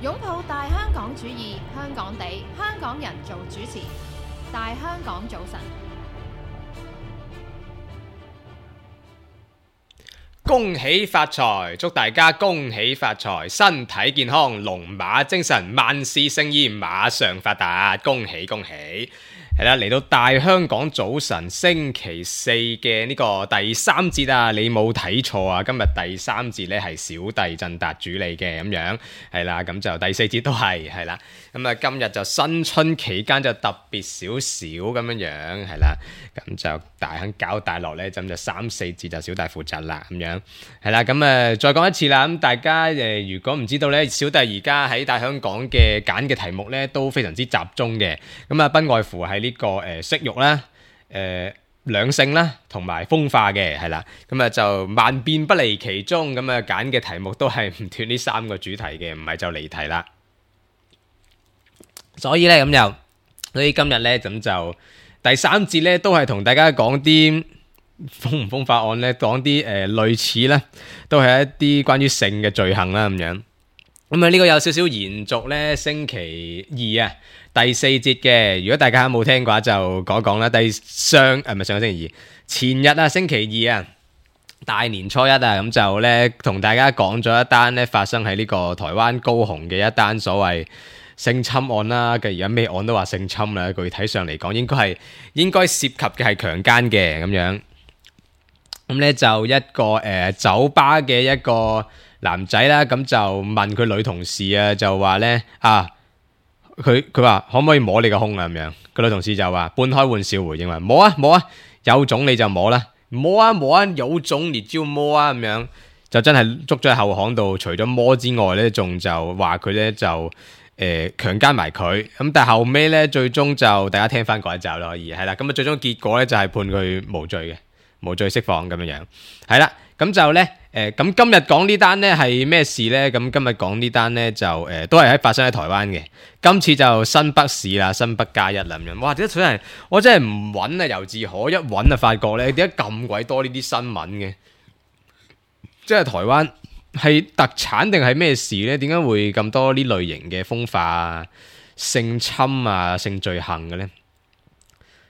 擁抱大香港主義，香港地，香港人做主持。大香港早晨，恭喜發財，祝大家恭喜發財，身體健康，龍馬精神，萬事勝意，馬上發達，恭喜恭喜！係啦，嚟到大香港早晨星期四嘅呢個第三節啊，你冇睇錯啊！今日第三節呢係小弟振達主理嘅咁樣，係啦，咁就第四節都係啦，咁啊今日就新春期間就特別少少咁樣樣，係啦，咁就大亨交大落呢，咁就三四節就小弟負責啦，咁樣係啦，咁再講一次啦，咁大家如果唔知道呢，小弟而家喺大香港嘅揀嘅題目呢都非常之集中嘅，咁啊不外乎係呢個色欲啦、兩性啦，同埋風化嘅，係啦，咁啊就萬變不離其宗，咁啊揀嘅題目都係唔脫呢三個主題嘅，唔係就離題啦。所以今日咧咁就第三節咧都係同大家講啲風唔風化案咧，講啲類似啦，都係一啲關於性嘅罪行啦咁樣。咁啊呢個有少少延續咧星期二啊第四節嘅，如果大家冇聽嘅話就講講啦。唔係上個星期二，前日啊星期二啊大年初一啊，咁就咧同大家講咗一單咧發生喺呢個台灣高雄嘅一單所謂性侵案啦。嘅而家咩案都話性侵啦，具體上嚟講應該涉及嘅係強姦嘅咁樣。咁咧就一個酒吧嘅一個男仔啦，咁就問佢女同事啊，就話咧佢話可唔可以摸你個胸啊咁樣，個女同事就話半開玩笑回應話摸啊，有種你就摸啦，摸啊有種你就摸啊咁樣，就真係捉咗喺後巷度，除咗摸之外咧，仲就話佢咧就強姦埋佢，咁但係後尾咧最終就大家聽翻嗰一集啦，可以係啦，咁啊最終結果咧就係判佢無罪嘅，無罪釋放咁樣，係啦。咁就咧，咁今日講呢單咧係咩事咧？咁今日講呢單咧就都係發生喺台灣嘅。今次就新北市啦，新北加一啦咁樣。哇！我真係唔揾啊，由自可一揾啊，發覺咧點解咁鬼多呢啲新聞嘅？即係台灣係特產定係咩事咧？點解會咁多呢類型嘅風化啊、性侵啊、性罪行嘅咧？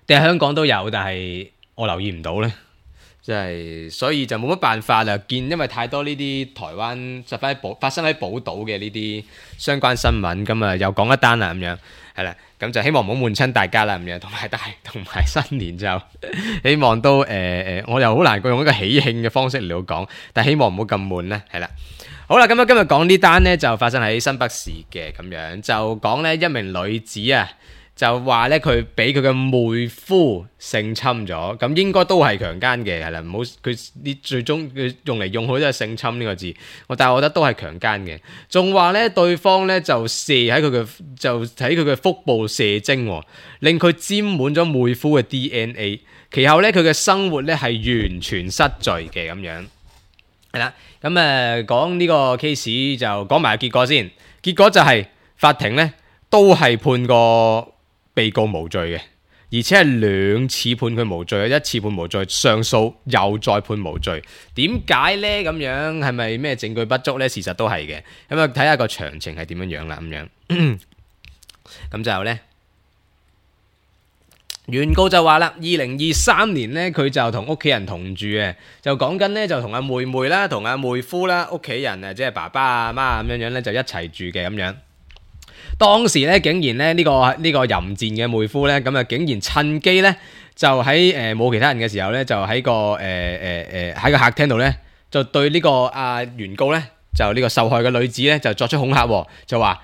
定係香港都有，但係我留意唔到咧？即係所以就冇乜辦法啦，因為太多呢啲台灣發生喺寶島嘅呢啲相關新聞，咁啊又講一單啦咁樣，係啦，咁就希望唔好悶親大家啦咁樣，同埋新年就希望都我又好難用一個喜慶嘅方式嚟到講，但係希望唔好咁悶啦，係啦。好啦，咁今日講呢單呢，就發生喺新北市嘅咁樣，就講呢一名女子啊。就話咧佢俾佢嘅妹夫性侵咗，咁應該都係強姦嘅，係啦，唔好佢呢最終佢用嚟用去都係性侵呢個字，但係我覺得都係強姦嘅。仲話咧對方咧就喺佢嘅腹部射精，令佢沾滿咗妹夫嘅 DNA， 其後咧佢嘅生活咧係完全失序嘅咁樣，係啦，咁講呢個 case 就講埋結果先，結果就係法庭咧都係判個被告無罪嘅，而且係兩次判佢無罪，一次判無罪，上訴又再判無罪。點解呢？咁樣係咪咩證據不足呢？事實都係嘅。咁啊睇下個詳情係點樣樣啦。咁樣咁就呢，原告就話啦，2023年呢，佢就同屋企人同住嘅，就講緊呢，就同阿妹妹啦，同阿妹夫啦，屋企人啊，即係爸爸阿媽咁樣樣咧，就一齊住嘅咁樣。當時咧，竟然咧呢個淫賤嘅妹夫咧，咁啊竟然趁機咧，就喺冇其他人嘅時候咧，就喺個喺個客廳度咧，就對呢個原告咧，就呢個受害嘅女子咧，就作出恐嚇，就話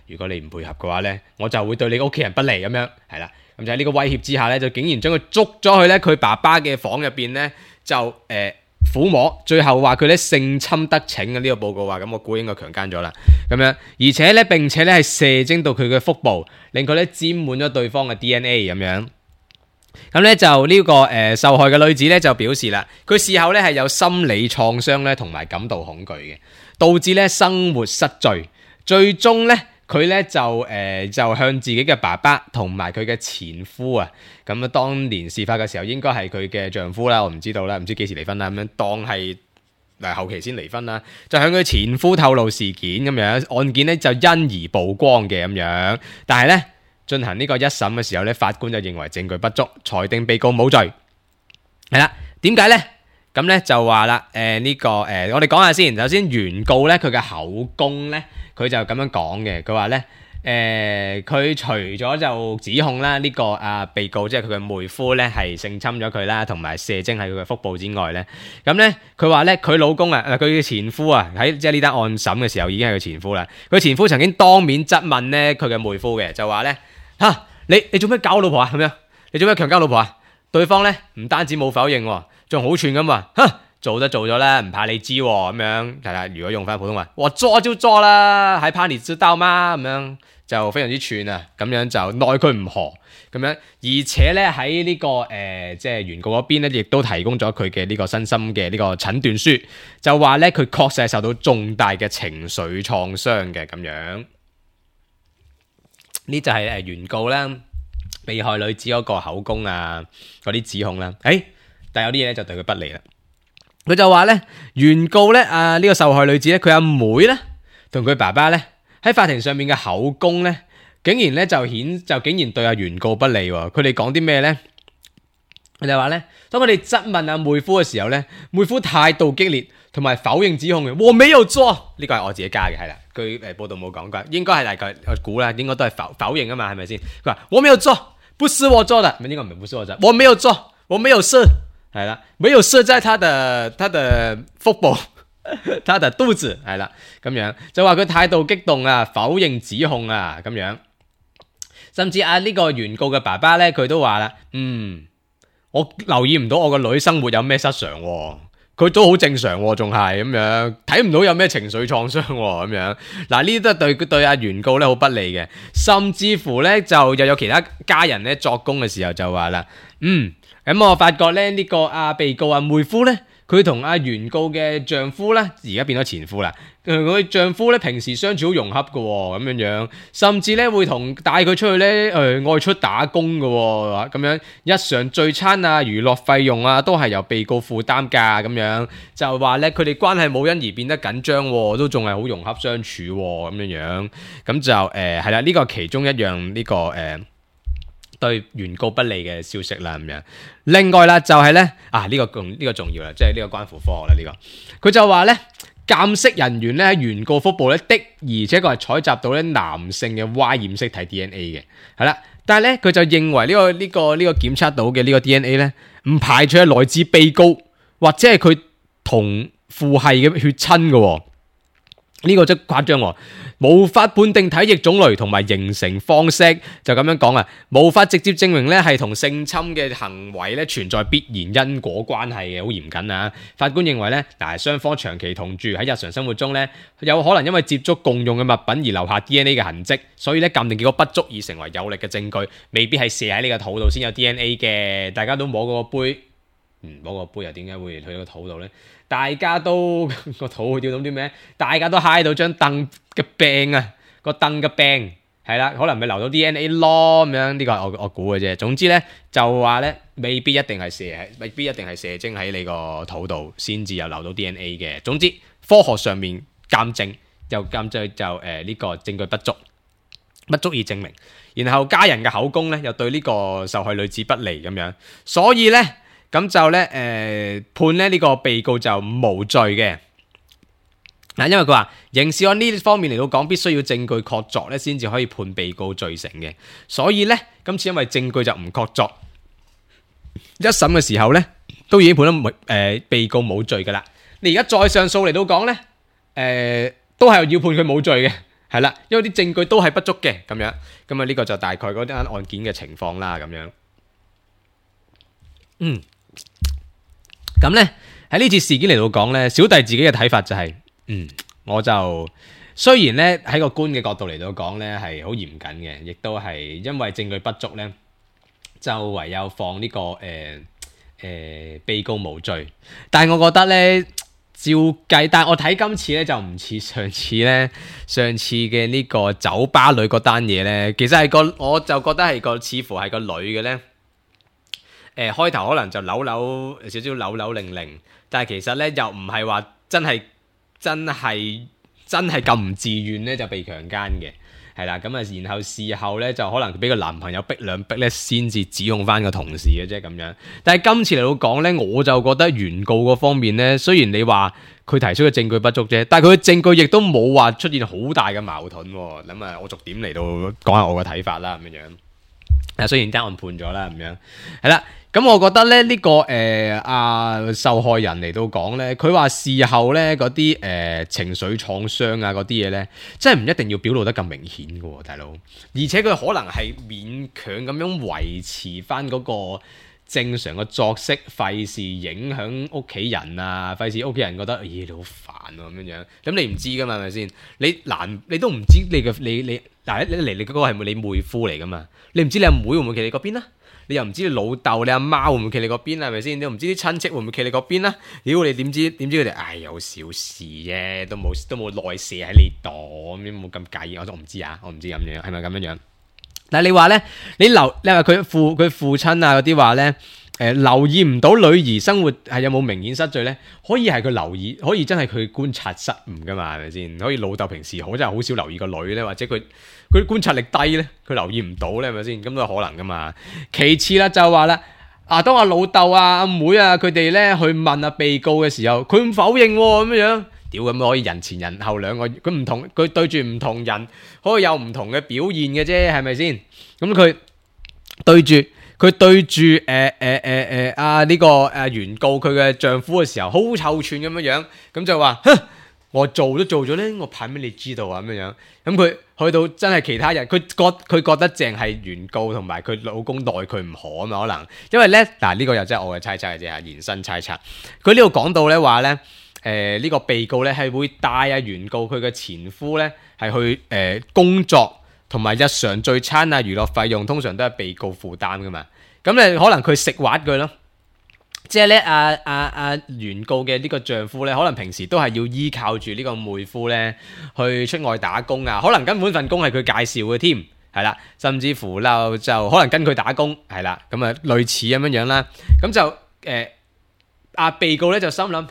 如果你唔配合嘅話咧，我就會對你屋企人不利咁樣，係啦，咁就喺呢個威脅之下咧，就竟然將佢捉咗去咧佢爸爸嘅房入邊咧，就撫摸，最後話佢咧性侵得逞嘅呢個報告話，咁我估應該強姦咗啦，咁樣，而且咧並且咧係射精到佢嘅腹部，令佢咧沾滿咗對方嘅 DNA 咁樣。咁咧就呢個受害嘅女子咧就表示啦，佢事後咧係有心理創傷咧同埋感到恐懼嘅，導致咧生活失序，最終咧。佢咧就向自己嘅爸爸同埋佢嘅前夫啊，咁啊當年事發嘅時候應該係佢嘅丈夫啦，我唔知道啦，唔知幾時離婚啦，咁樣當係後期先離婚啦，就向佢前夫透露事件咁樣，案件咧就因而曝光嘅咁樣。但係咧進行呢個一審嘅時候咧，法官就認為證據不足，裁定被告冇罪。係啦，點解咧？咁咧就話啦，我哋講下先。首先原告咧佢嘅口供咧，佢就咁樣講嘅。佢話咧，佢除咗就指控啦呢個被告即係佢嘅妹夫咧係性侵咗佢啦，同埋射精喺佢嘅腹部之外咧，咁咧佢話咧佢老公佢嘅前夫喺即係呢單案審嘅時候已經係佢前夫啦。佢前夫曾經當面質問咧佢嘅妹夫嘅，就話咧你做咩搞我老婆啊？咁樣你做咩強姦老婆啊？對方咧唔單止冇否認，仲好串咁話，做咗啦，唔怕你知咁樣。係啦，如果用翻普通話，我做就做啦，還怕你知道嗎？咁樣就非常之串啊，咁樣就奈佢唔何咁樣。而且咧喺呢個即係原告嗰邊咧，亦都提供咗佢嘅呢個身心嘅呢個診斷書，就話咧佢確實係受到重大嘅情緒創傷嘅咁樣。呢就係原告啦，被害女子嗰個口供嗰啲指控啦。但係有啲嘢咧就對佢不利啦。佢就話咧，原告咧呢個受害女子咧，佢阿妹咧同佢爸爸咧喺法庭上面嘅口供咧，竟然咧就竟然對原告不利喎。佢哋講啲咩咧？佢哋話咧，當佢哋質問妹夫嘅時候咧，妹夫態度激烈，同埋否認指控嘅。我沒有做，呢個係我自己加嘅，係啦。佢報道冇講過，應該係大概我估啦，應該都係否認啊嘛，係咪先？佢話我沒有做，不是我做的，應該唔係不是我做的，我沒有做，我沒有射，係啦，沒有射在他的腹部，他的肚子，係啦，咁樣就話佢態度激動否認指控咁樣，甚至呢個原告嘅爸爸咧，佢都話啦，我留意唔到我個女生活有咩失常喎。佢都好正常喎，仲係咁樣，睇唔到有咩情緒創傷喎，咁樣嗱，呢啲都係對原告咧好不利嘅，甚至乎咧就又有其他家人咧作供嘅時候就話啦，咁我發覺咧呢個被告妹夫咧，佢同原告嘅丈夫咧，而家變咗前夫啦，佢丈夫咧平時相處好融洽嘅喎，咁樣，甚至咧會帶佢出去咧外出打工嘅喎，咁樣日常聚餐娛樂費用都係由被告負擔㗎，咁樣就話咧佢哋關係冇因而變得緊張喎，都仲係好融洽相處喎，咁樣，咁就係啦，呢個其中一樣呢個對原告不利嘅消息啦，咁樣。另外啦，就係咧呢個重要啦，即係呢個關乎科學啦，呢個佢就話咧，鑑識人員咧喺原告腹部咧的，而且佢係採集到咧男性嘅 Y 染色體 DNA 嘅，係啦，但係咧佢就認為呢個檢測到嘅呢個 DNA 咧，唔排除係來自被告或者係佢同父系嘅血親嘅。呢個真誇張喎，無法判定體液種類同埋形成方式，就咁樣講無法直接證明咧係同性侵嘅行為咧存在必然因果關係嘅，好嚴謹啊！法官認為咧，雙方長期同住喺日常生活中咧，有可能因為接觸共用嘅物品而留下 DNA 嘅痕跡，所以咧鑑定結果不足以成為有力嘅證據，未必係射喺你個肚度先有 DNA 嘅。大家都摸過個杯，摸個杯又點解會去到個肚度咧？大家都個肚會掉到啲咩？大家都揩到張凳嘅柄個凳嘅柄係啦，可能咪留到 DNA 咯咁樣。呢個係我估嘅啫。總之咧就話咧，未必一定係射精喺你個肚度先至有留到 DNA 嘅。總之科學上面鑑證就呢個證據不足以證明。然後家人嘅口供咧又對呢個受害女子不利咁樣，所以咧。咁就咧，判咧呢個被告就無罪嘅。因為佢話刑事案呢方面嚟到講，必須要證據確鑿咧，先至可以判被告罪成嘅。所以咧，今次因為證據就唔確鑿，一審嘅時候咧，都已經判咗被告冇罪噶啦。你而家再上訴嚟到講咧，都係要判佢冇罪嘅，係啦，因為啲證據都係不足嘅咁樣。咁呢個就大概嗰單案件嘅情況啦，咁樣。咁咧喺呢次事件嚟到講咧，小弟自己嘅睇法就係，我就雖然咧喺個官嘅角度嚟到講咧係好嚴謹嘅，亦都係因為證據不足咧，就唯有放呢個被告無罪。但係我覺得咧，照計，但係我睇今次咧就唔似上次嘅呢個酒吧女嗰單嘢咧，其實係我就覺得係似乎係個女嘅咧。開頭可能就扭扭擰擰，但係其實咧又唔係話真係咁唔自願咧就被強姦嘅。係啦，咁啊，然後事後咧就可能俾個男朋友逼兩逼咧，先至指控翻個同事嘅啫咁樣。但係今次嚟到講咧，我就覺得原告嗰方面咧，雖然你話佢提出嘅證據不足啫，但係佢嘅證據亦都冇話出現好大嘅矛盾。咁啊，我逐點嚟到講下我嘅睇法啦，咁樣。啊，雖然單案判咗啦，咁樣係啦。咁我覺得咧呢個受害人嚟到講咧，佢話事後咧嗰啲情緒創傷啊嗰啲嘢咧，真係唔一定要表露得咁明顯嘅喎，大佬。而且佢可能係勉強咁樣維持翻嗰個正常嘅作息，費事影響屋企人啊，費事屋企人覺得你好煩喎咁樣。咁你唔知噶嘛，係咪先？你都唔知你嚟嗰個係咪你妹夫嚟噶嘛？你唔知你阿妹會唔會企你嗰邊啊？你又唔知你老豆、你阿媽會唔會企你嗰邊，係咪先？你又唔知啲親戚會唔會企你嗰邊啦？屌你點知佢哋？有小事啫，都冇內射喺你度，咁冇咁介意。我唔知啊，我唔知咁樣係咪咁樣樣。但係你話咧，你話佢父親啊嗰啲話咧，留意唔到女兒生活係有冇明顯失序咧？可以係佢留意，可以真係佢觀察失誤噶嘛？係咪先？可以老豆平時真係好少留意個女咧，或者佢觀察力低咧，佢留意唔到咧，係咪先？咁都有可能噶嘛。其次啦，就話啦，當阿老豆啊、阿妹啊佢哋咧去問阿被告嘅時候，佢唔否認喎，咁樣。屌，咁可以人前人後兩個，佢唔同，佢對住唔同人可以有唔同嘅表現嘅啫，係咪先？咁佢對住呢個原告佢嘅丈夫嘅時候，好臭串咁樣，咁就話，哼，我做都做咗咧，我怕咩你知道啊咁樣。咁佢去到真係其他人，佢覺得淨係原告同埋佢老公奈佢唔何啊嘛，可能因為咧嗱呢個又真係我嘅猜測嘅啫，延伸猜測。佢呢度講到咧話咧。呢個被告咧係會帶原告佢嘅前夫咧係去工作同埋日常聚餐啊娛樂費用通常都係被告負擔噶嘛，咁咧可能佢食滑佢咯，即係咧原告嘅呢個丈夫咧可能平時都係要依靠住呢個妹夫咧去出外打工啊，可能根本份工係佢介紹嘅添，係啦，甚至乎就可能跟佢打工係啦，咁啊類似咁樣啦，咁就被告咧就心諗。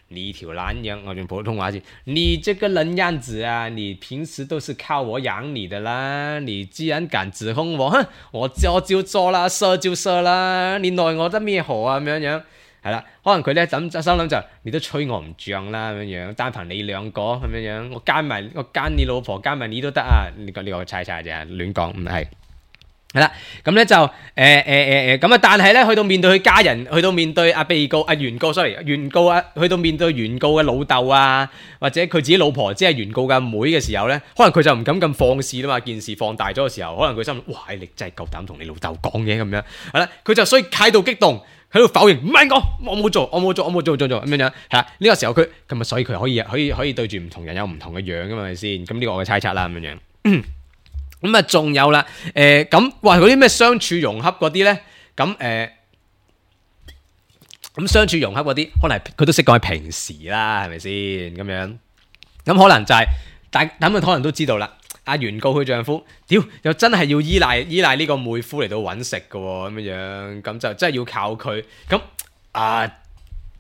你條懶樣，我用普通話先。你這個人樣子啊，你平時都是靠我養你的啦。你既然敢指控我，哼，我做就做啦，射就射啦。你奈我得咩何啊？咁樣係啦，可能佢咧心諗就，你都吹我唔脹啦咁樣，單憑你兩個咁樣，我奸你老婆，奸埋你都得啊！呢個猜啫，亂講唔係。係啦，咁咧就咁啊！但係咧，去到面對佢家人，去到面對原告去到面對原告嘅老豆啊，或者佢自己老婆，即係原告嘅阿妹嘅時候咧，可能佢就唔敢咁放肆啦嘛。件事放大咗嘅時候，可能佢心諗：哇！你真係夠膽同你老豆講嘅咁樣，係啦，佢就所以態度激動，喺度否認，唔係我冇做咁樣，係啦。呢個時候佢咁啊，所以佢可以對住唔同人有唔同嘅樣噶嘛，係咪先？咁呢個我嘅猜測啦，咁樣。咁啊，仲有啦，咁話嗰啲咩相處融洽嗰啲咧，咁相處融洽嗰啲，可能佢都識講係平時啦，係咪先咁樣？咁可能就係，但佢可能都知道啦。原告佢丈夫，屌又真係要依賴呢個妹夫嚟到揾食嘅喎，咁樣咁就真係要靠佢，咁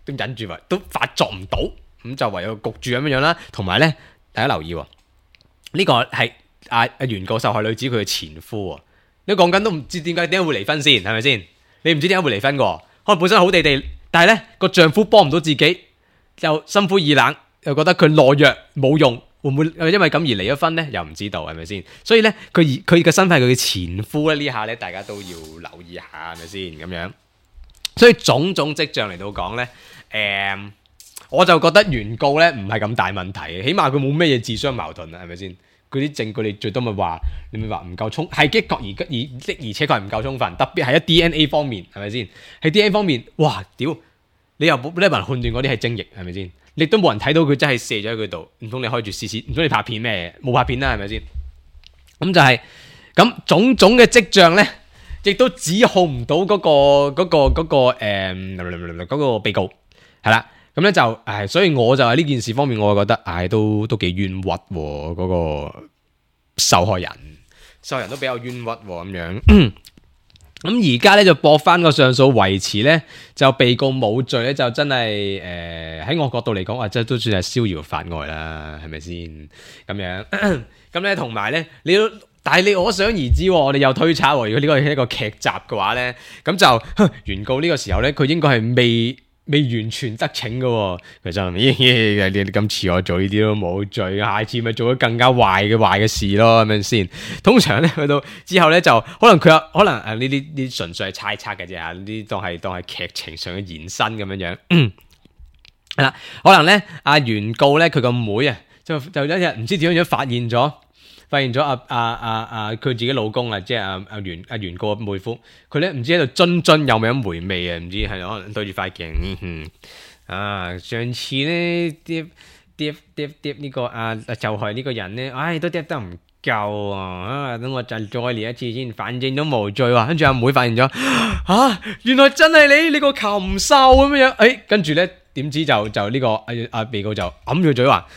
都忍住喎，都發作唔到，咁就唯有焗住咁樣啦。同埋咧，大家留意喎，呢個係。原告受害女子佢嘅前夫喎，你講緊都唔知點解會離婚先，係咪先？你唔知點解會離婚嘅，可能本身好地地，但係咧個丈夫幫唔到自己，又心灰意冷，又覺得佢懦弱冇用，會唔會因為咁而離咗婚咧？又唔知道係咪先？所以咧佢嘅身份係佢嘅前夫咧，呢下咧大家都要留意下係咪先咁樣？所以種種跡象嚟到講咧，我就覺得原告咧唔係咁大問題，起碼佢冇咩嘢自相矛盾啊，係咪先？嗰啲證據你最多咪話，你咪話唔夠充，係的確而且確係唔夠充分，特別係喺 DNA 方面，係咪先？喺 DNA 方面，哇屌！你又冇人判斷嗰啲係精液，係咪先？你都冇人睇到佢真係射咗喺佢度，唔通你開住試，唔通你拍片咩？冇拍片啦，係咪先？咁就係咁種種嘅跡象咧，亦都指控唔到嗰個被告，係啦。咁咧就所以我就喺呢件事方面，我就覺得都幾冤屈喎，嗰個受害人都比較冤屈喎咁樣。咁而家咧就駁翻個上訴維持咧，就被告冇罪咧，就真係喺我角度嚟講，即係都算係逍遙法外啦，係咪先？咁樣咁咧，同埋咧，但係你可想而知，我哋又推測，如果呢個係一個劇集嘅話咧，咁就原告呢個時候咧，佢應該係未完全得逞嘅，佢就你咁似我做呢啲都冇罪，下次咪做咗更加壞嘅事咯，係咪先？通常咧去到之後咧，就可能呢啲純粹係猜測嘅啫嚇，呢啲當係劇情上嘅延伸咁樣樣。係啦，可能咧阿原告咧佢個妹啊，就一日唔知點樣發現咗佢自己老公啊，即係阿原告嘅妹夫，佢咧唔知喺度津有冇咁回味啊？唔知係可能對住塊鏡，上次咧跌呢個就係呢個人咧，都跌得唔夠啊！等我再練一次先，反正都無罪喎。跟住阿妹發現咗，原來真係你個禽獸咁樣，跟住咧點知就呢個阿被告就揞住嘴話，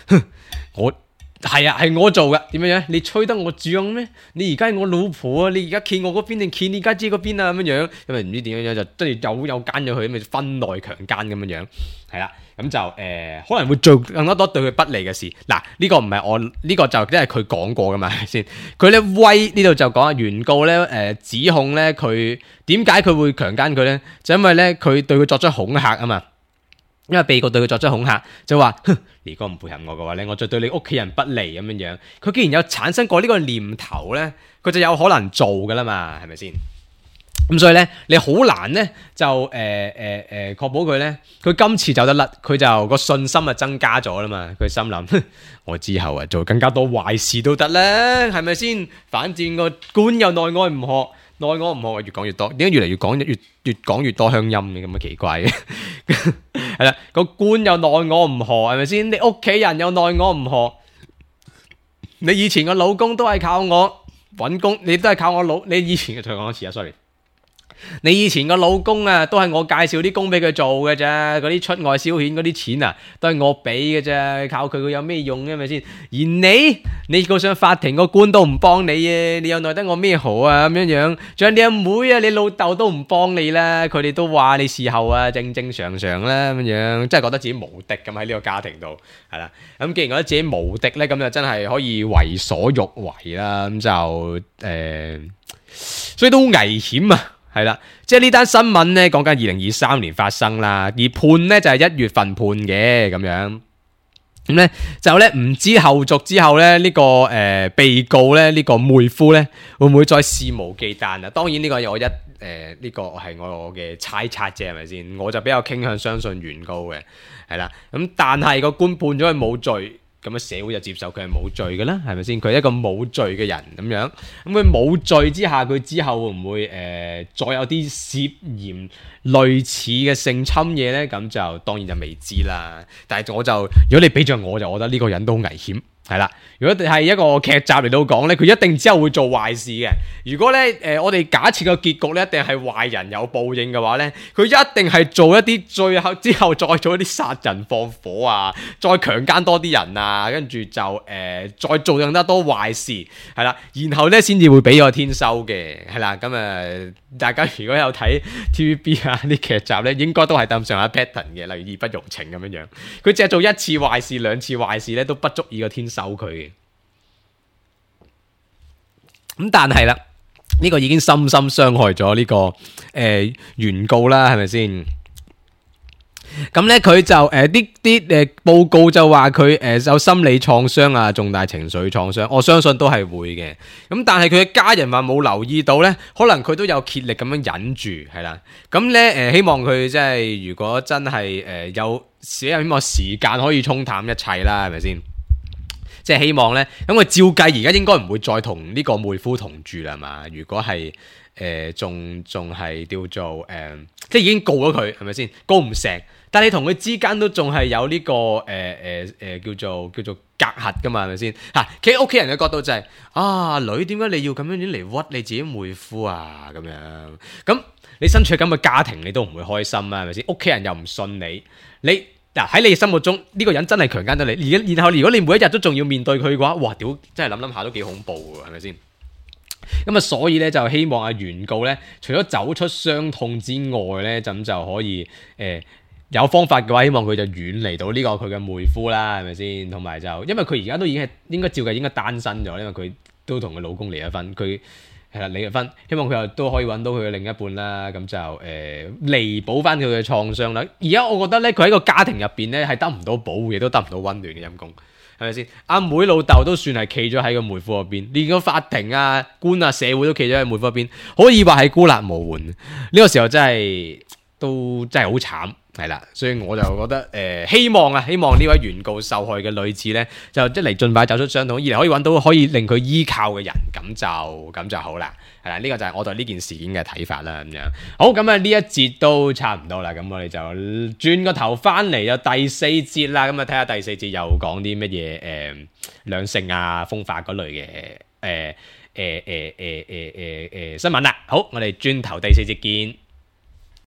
係我做嘅，點樣？你吹得我脹咩？你而家係我老婆啊！你而家企我嗰邊定企你家姐嗰邊啊？咁樣，因為唔知點樣就跟住有奸咗佢，咪分內強奸咁樣，係啦，咁就可能會做更加多對佢不利嘅事。嗱，呢個唔係我呢個就即係佢講過噶嘛，係先？佢咧呢度就講啊，原告咧指控咧佢點解佢會強奸佢咧？就因為咧佢對佢作出恐嚇啊嘛。因為被告對佢作出恐嚇，就話：如果唔配合我嘅話咧，我就對你屋企人不利咁樣樣。佢既然有產生過呢個念頭咧，佢就有可能做噶啦嘛，係咪先？咁所以咧，你好難咧就確保佢咧，佢今次走得甩，佢就個信心啊增加咗啦嘛。佢心諗：我之後做更加多壞事都得啦，係咪先？反正個官又內外唔學。內我唔學，越講越多，點解越嚟越講越多鄉音嘅咁嘅奇怪嘅？係啦，個官又內我唔學，係咪先？你屋企人又內我唔學，你以前個老公都係靠我搵工，你都係靠我你以前嘅再講一次啊 ，sorry。你以前個老公啊，都係我介紹啲工俾佢做嘅啫，嗰啲出外消遣嗰啲錢啊，都係我俾嘅啫，靠佢有咩用嘅咪先？而你告上法庭個官都唔幫你嘅，你又奈得我咩好啊咁樣樣？仲有你阿妹啊，你老豆都唔幫你啦，佢哋都話你事後啊正常啦咁樣，真係覺得自己無敵咁喺呢個家庭度，係啦。咁既然覺得自己無敵咧，咁就真係可以為所欲為啦，咁就所以都好危險啊！係啦，即係呢單新聞咧，講緊2023年發生啦，而判咧就係1月份判嘅咁樣，咁咧就咧唔知後續之後咧呢個被告咧呢個妹夫咧會唔會再肆無忌憚啊？當然呢個係我呢個係我嘅猜測啫，係咪先？我就比較傾向相信原告嘅，係啦，咁但係個官判咗佢冇罪。咁樣社會就接受佢係冇罪嘅啦，係咪先？佢係一個冇罪嘅人咁樣，咁佢冇罪之下，佢之後會唔會再有啲涉嫌類似嘅性侵嘢咧？咁就當然就未知啦。但係如果你俾着我，就覺得呢個人都好危險。係啦，如果係一個劇集嚟到講咧，佢一定之後會做壞事嘅。如果咧我哋假設個結局咧一定係壞人有報應嘅話咧，佢一定係做一啲之後再做一啲殺人放火啊，再強姦多啲人啊，跟住就再做更加多壞事，係啦，然後咧先至會俾個天收嘅，係啦。咁大家如果有睇 TVB 啊啲劇集咧，應該都係咁上下 pattern 嘅，例如義不容情咁樣樣。佢淨係做一次壞事、兩次壞事咧，都不足以個天收佢嘅。咁但係啦，呢個已經深深傷害咗呢個原告啦，係咪先？咁咧佢就啲報告就話佢有心理創傷啊，重大情緒創傷，我相信都係會嘅。咁但係佢嘅家人話冇留意到咧，可能佢都有竭力咁樣忍住，係啦。咁咧希望佢即係如果真係希望時間可以沖淡一切啦，係咪先？即係希望咧，咁佢照計而家應該唔會再同呢個妹夫同住啦嘛。如果係仲係叫做即係已經告咗佢，係咪先？告唔成，但係你同佢之間都仲係有呢個叫做隔閡噶嘛，係咪先？嚇，企喺屋企人嘅角度就係女，點解你要咁樣嚟屈你自己妹夫啊？咁樣咁你身處咁嘅家庭，你都唔會開心啊，係咪先？屋企人又唔信你嗱喺你心目中呢個人真係強姦咗你，然後如果你每一日都仲要面對佢嘅話，哇屌！真係諗下都幾恐怖嘅，係咪先？咁啊，所以咧就希望阿原告咧，除咗走出傷痛之外咧，咁就可以有方法嘅話，希望佢就遠離到呢個佢嘅妹夫啦，係咪先？同埋就因為佢而家都已經係應該照計應該單身咗，因為佢都同佢老公離咗婚，佢係啦離咗婚，希望佢又都可以揾到佢嘅另一半啦，咁就彌補翻佢嘅創傷啦。而家我覺得咧，佢喺個家庭入邊咧係得唔到保護，亦都得唔到溫暖嘅陰公，係咪先？阿妹老豆都算係企咗喺個妹夫嗰邊，連個法庭啊、官啊、社會都企咗喺妹夫嗰邊，可以話係孤立無援。呢個時候真係都真係好慘。係啦，所以我就覺得希望呢位原告受害嘅女子呢，就一嚟盡快走出傷痛，二嚟可以揾到可以令佢依靠嘅人，咁就好啦。係啦，呢個就係我對呢件事件嘅睇法啦。咁樣好，咁啊呢一節都差唔多啦，咁我哋就轉個頭翻嚟就第四節啦。咁啊睇下第四節又講啲乜嘢兩性啊、風化嗰類嘅新聞啦。好，我哋轉頭第四節見。